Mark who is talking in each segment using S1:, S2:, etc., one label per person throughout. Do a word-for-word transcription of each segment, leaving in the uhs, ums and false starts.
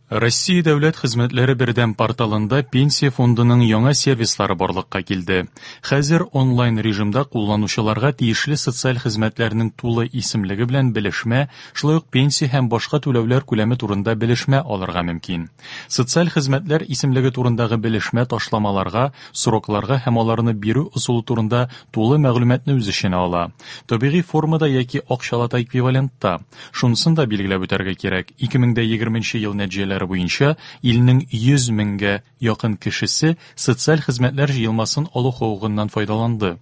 S1: Россия дәүләт хезмәтләре бердәм порталында Пенсия фондының яңа сервислары барлыкка килде. Хәзер онлайн режимда кулланучыларга тиешле социаль хезмәтләрнең тулы исемлеге белән белешмә, шулай ук пенсия һәм башка түләүләр күләме турында белешмә алырга мөмкин. Социаль хезмәтләр исемлеге турындагы белешмә ташламаларга, срокларга һәм аларны бирү ысулы турында тулы мәгълүматны үз эченә ала. Табигый формада яки акчалата эквивалентта. Шунысын да билгеләп үтәргә кирәк, ике мең дә егерменче ел нәтиҗәләре буенча илнең йөз меңгә якын кешесе социаль хезмәтләр җыелмасын алу хокукыннан файдаланды.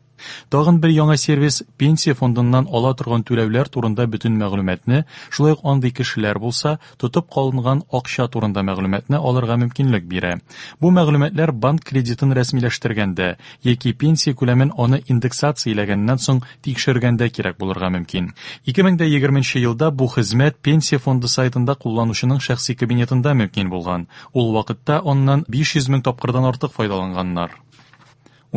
S1: Тагын бер яңа сервис пенсия фондыннан ала торган түләүләр турында бөтен мәгълүматны, шулай ук андый кешеләр булса, тотып калынган акча турында мәгълүматны алырга мөмкинлек бирә. Бу мәгълүматлар банк кредитын рәсмиләштергәндә яки пенсия күләмен аны индексацияләгәннән соң тикшергәндә кирәк булырга мөмкин. Ике мең дә егерменче елда бу хезмәт пенсия фонды сайтында кулланучының шәхси кабинетында мөмкин булган. Ул вакытта аннан биш йөз мең тапкырдан артык файдаланганнар.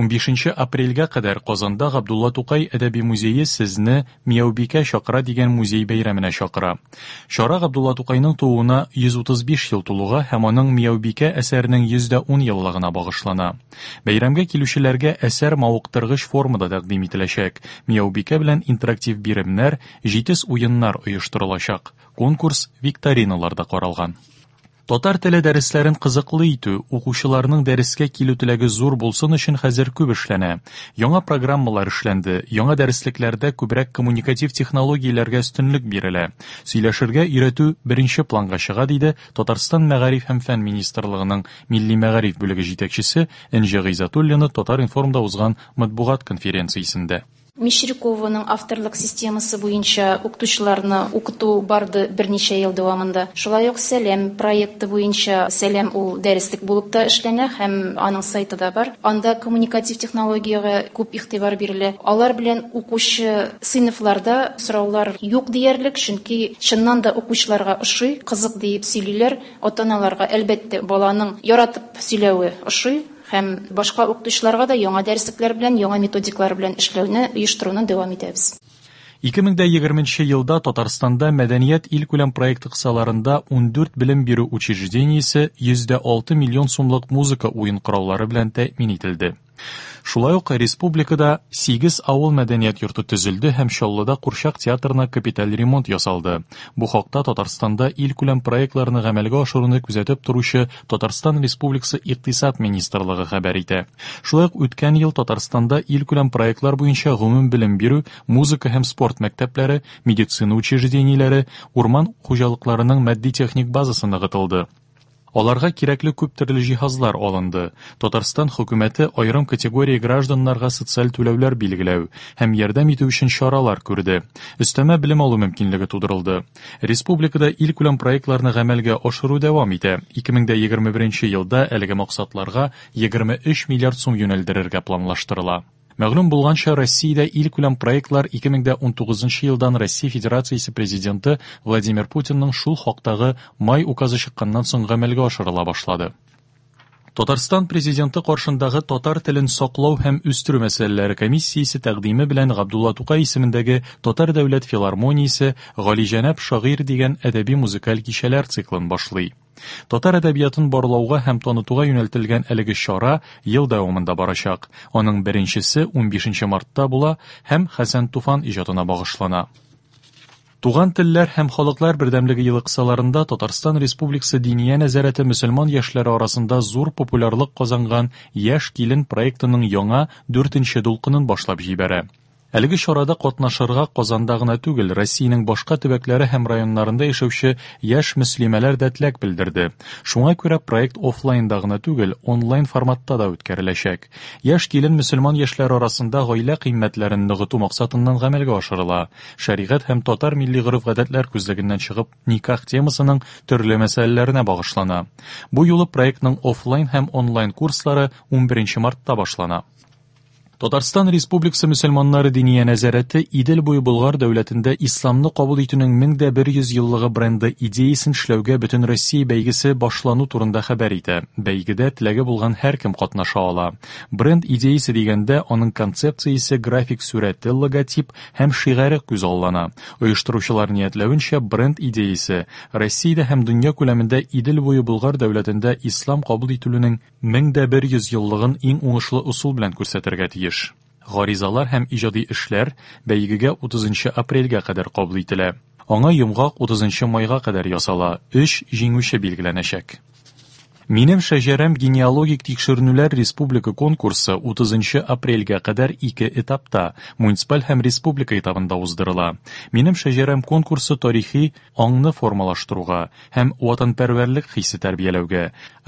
S1: Унбишенче апрельгә кадәр Казанда Габдулла Тукай әдәби музее сезне Мияубикә чакыра дигән музей бәйрәменә чакыра. Чара Габдулла Тукайның тууына йөз утыз биш ел тулуга һәм аның Мияубикә әсәренең йөз дә ун еллыгына багышлана. Бәйрәмгә килүчеләргә әсәр мавыктыргыч формада тәкъдим ителәчәк. Мияубикә белән интерактив биремнәр, җитез уеннар оештырылачак. Конкурс викториналарда каралган. Татар теле дәресләрен кызыклы итү, укучыларның дәрескә килү теләге зур булсын өчен хәзер күп эшләнә. Яңа программалар эшләнде, яңа дәреслекләрдә күбрәк коммуникатив технологияләргә өстенлек бирелә. Сөйләшергә өйрәтү беренче планга чыга, диде Татарстан Мәгариф һәм фән министрлыгының милли мәгариф бүлеге җитәкчесе Энҗе Гыйззәтуллина Татар-информда узган матбугат конференциясендә.
S2: Мещерякованың авторлык системасы буенча укытучыларны укыту барды берничә ел дәвамында. Шулай ук Сәлем проекты буенча Сәлем ул дәреслек булып та эшләнә һәм аның сайты да бар. Анда коммуникатив технологиягә күп игътибар бирелә. Алар белән укучы сыйныфларда сораулар юк диярлек, чөнки чыннан да укучыларга ошый, кызык диеп сөйлиләр. Ата-аналарга әлбәттә баланың яратып сөйләве ошый. Һәм башка укытучыларга да яңа дәреслекләр белән, яңа методикалар белән эшләүне оештыруны дәвам итәбез.
S1: Ике мең дә егерменче елда Татарстанда мәдәният илкүләм проекты кысаларында ундүрт белем бирү учреждениесе йөз дә алты миллион сумлык музыка уен кораллары белән тәэмин ителде. Шулай ук республикада сигез авыл мәдәният йорты төзелде һәм Чаллыда Курчак театрына капиталь ремонт ясалды. Бу хакта Татарстанда илкүләм проектларны гамәлгә ашыруны күзәтеп торучы Татарстан Республикасы Икътисад министрлыгы хәбәр итә. Шулай ук үткән ел Татарстанда илкүләм проектлар буенча гомум белем бирү, музыка һәм спорт мәктәпләре, медицина учреждениеләре, урман хуҗалыкларының матди-техник базасы ныгытылды. Аларга кирәкле күп төрле җиһазлар алынды. Татарстан хөкүмәте аерым категория гражданнарга социаль түләүләр билгеләү һәм ярдәм итү өчен чаралар күрде. Өстәмә белем алу мөмкинлеге тудырылды. Республикада илкүләм проектларны гамәлгә ашыру дәвам итә. Ике мең дә егерме беренче елда әлеге максатларга егерме өч миллиард сум юнәлдерергә планлаштырыла. Мәгълүм булганча, Россиядә илкүләм проектлар ике мең дә унтугызынчы елдан Россия Федерациясе президенты Владимир Путинның шул хактагы май указы чыкканнан соң гамәлгә ашырыла башлады. Татарстан президенты каршындагы татар телен саклау һәм үстерү мәсьәләләре комиссиясе тәкъдиме белән Габдулла Тукай исемендәге Татар дәүләт филармониясе Галиҗәнәп шагыйрь дигән әдәби музыкаль кичәләр циклын башлый. Татар әдәбиятын барлауга һәм танытуга юнәлтелгән әлеге чара ел дәвамында барачак. Аның беренчесе унбишенче мартта була һәм Хәсән Туфан иҗатына багышлана. Туган телләр һәм халыклар бердәмлеге елы кысаларында Татарстан Республикасы Диния нәзарәте мөселман яшьләре арасында зур популярлык казанган Яшь килен проектының яңа дүртенче дулкынын башлап җибәрә. Әлеге чарада катнашырга Казанда гына түгел, Россиянең башка төбәкләре һәм районнарында яшәүче яшь мөслимәләр дә теләк белдерде. Шуңа күрә проект офлайнда гына түгел, онлайн форматта да үткәреләчәк. Яшь килен мөселман яшьләре арасында гаилә кыйммәтләрен ныгыту максатыннан гамәлгә ашырыла. Шәригать һәм татар милли гореф-гадәтләр күзлегеннән чыгып никах темасының төрле мәсьәләләренә багышлана. Бу юлы проектның офлайн һәм онлайн курслары унберенче мартта башлана. Татарстан Республикасы мөселманнары Диния нәзарәте Идел буе Болгар дәүләтендә исламны кабул итүнең мең дә бер йөз еллыгы бренды идеясен эшләүгә Бөтенроссия бәйгесе башлану турында хәбәр итә. Бәйгедә теләге булган һәркем катнаша ала. Бренд идеясе дигәндә аның концепциясе, график сурәте, логотип һәм шигаре күзаллана. Оештыручылар ниятләвенчә, бренд идеясе Россиядә һәм дөнья күләмендә Идел буе Болгар дәүләтендә ислам кабул ителүнең мең дә бер йөз еллыгын иң уңышлы ысул белән күрсәтергә тиеш. Гаризалар һәм иҗади эшләр бәйгегә утызынчы апрельгә кадәр кабул ителә. Аңа йомгак утызынчы майга кадәр ясала, өч җиңүче билгеләнәчәк. Минем шәҗәрәм генеалогик тикшеренүләр республика конкурсы утызынчы апрельгә кадәр ике этапта, муниципаль һәм республика этабында уздырыла. Минем шәҗәрәм конкурсы тарихи аңны формалаштыруга һәм ватанпәрвәрлек хисе тәрбияләүгә,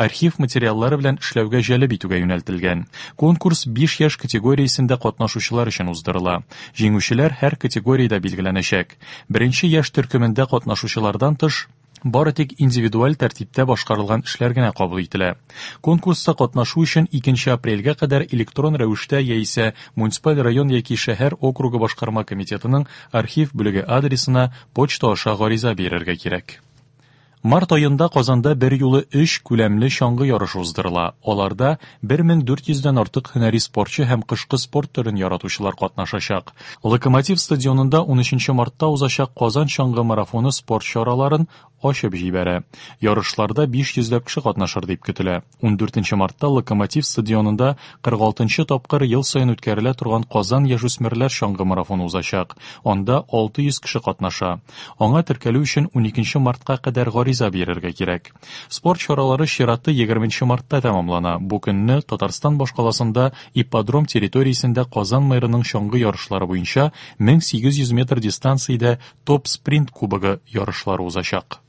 S1: архив материаллары белән эшләүгә җәлеп итүгә юнәлтелгән. Конкурс биш яшь категориясендә катнашучылар өчен уздырыла. Җиңүчеләр һәр категориядә билгеләнәчәк. Беренче яшь төркемендә катнашучылардан тыш, бары тик индивидуаль тәртиптә башкарылган эшләр генә кабул ителә. Конкурста катнашу өчен икенче апрельгә кадәр электрон рәвештә яисә муниципаль район яки шәһәр округы башкарма комитетының архив бүлеге адресына почта аша гариза бирергә кирәк. Март аенда Казанда бер юлы өч күләмле чаңгы ярышы уздырыла. Аларда бер мең дүрт йөздән артык һөнәри спортчы һәм кышкы спорт төрен яратучылар катнашачак. Локомотив стадионында унөченче мартта узачак Казан чаңгы марафоны спорт чараларын ачып җибәрә. Ярышларда биш йөзләп кеше катнашыр дип көтелә. Ундүртенче мартта Локомотив стадионында кырык алтынчы тапкыр ел саен үткәрелә торган Казан яшүсмерләр чаңгы марафоны узачак. Анда алты йөз кеше катнаша. Аңа теркәлү өчен уникенче мартка кадәр гариза бирергә кирәк. Спорт чаралары чираты егерменче мартта тәмамлана. Бу көнне Татарстан башкаласында ипподром территориясендә Казан мэрының чаңгы ярышлары буенча мең сигез йөз метр дистанциядә топ-спринт кубогы ярышлары узачак.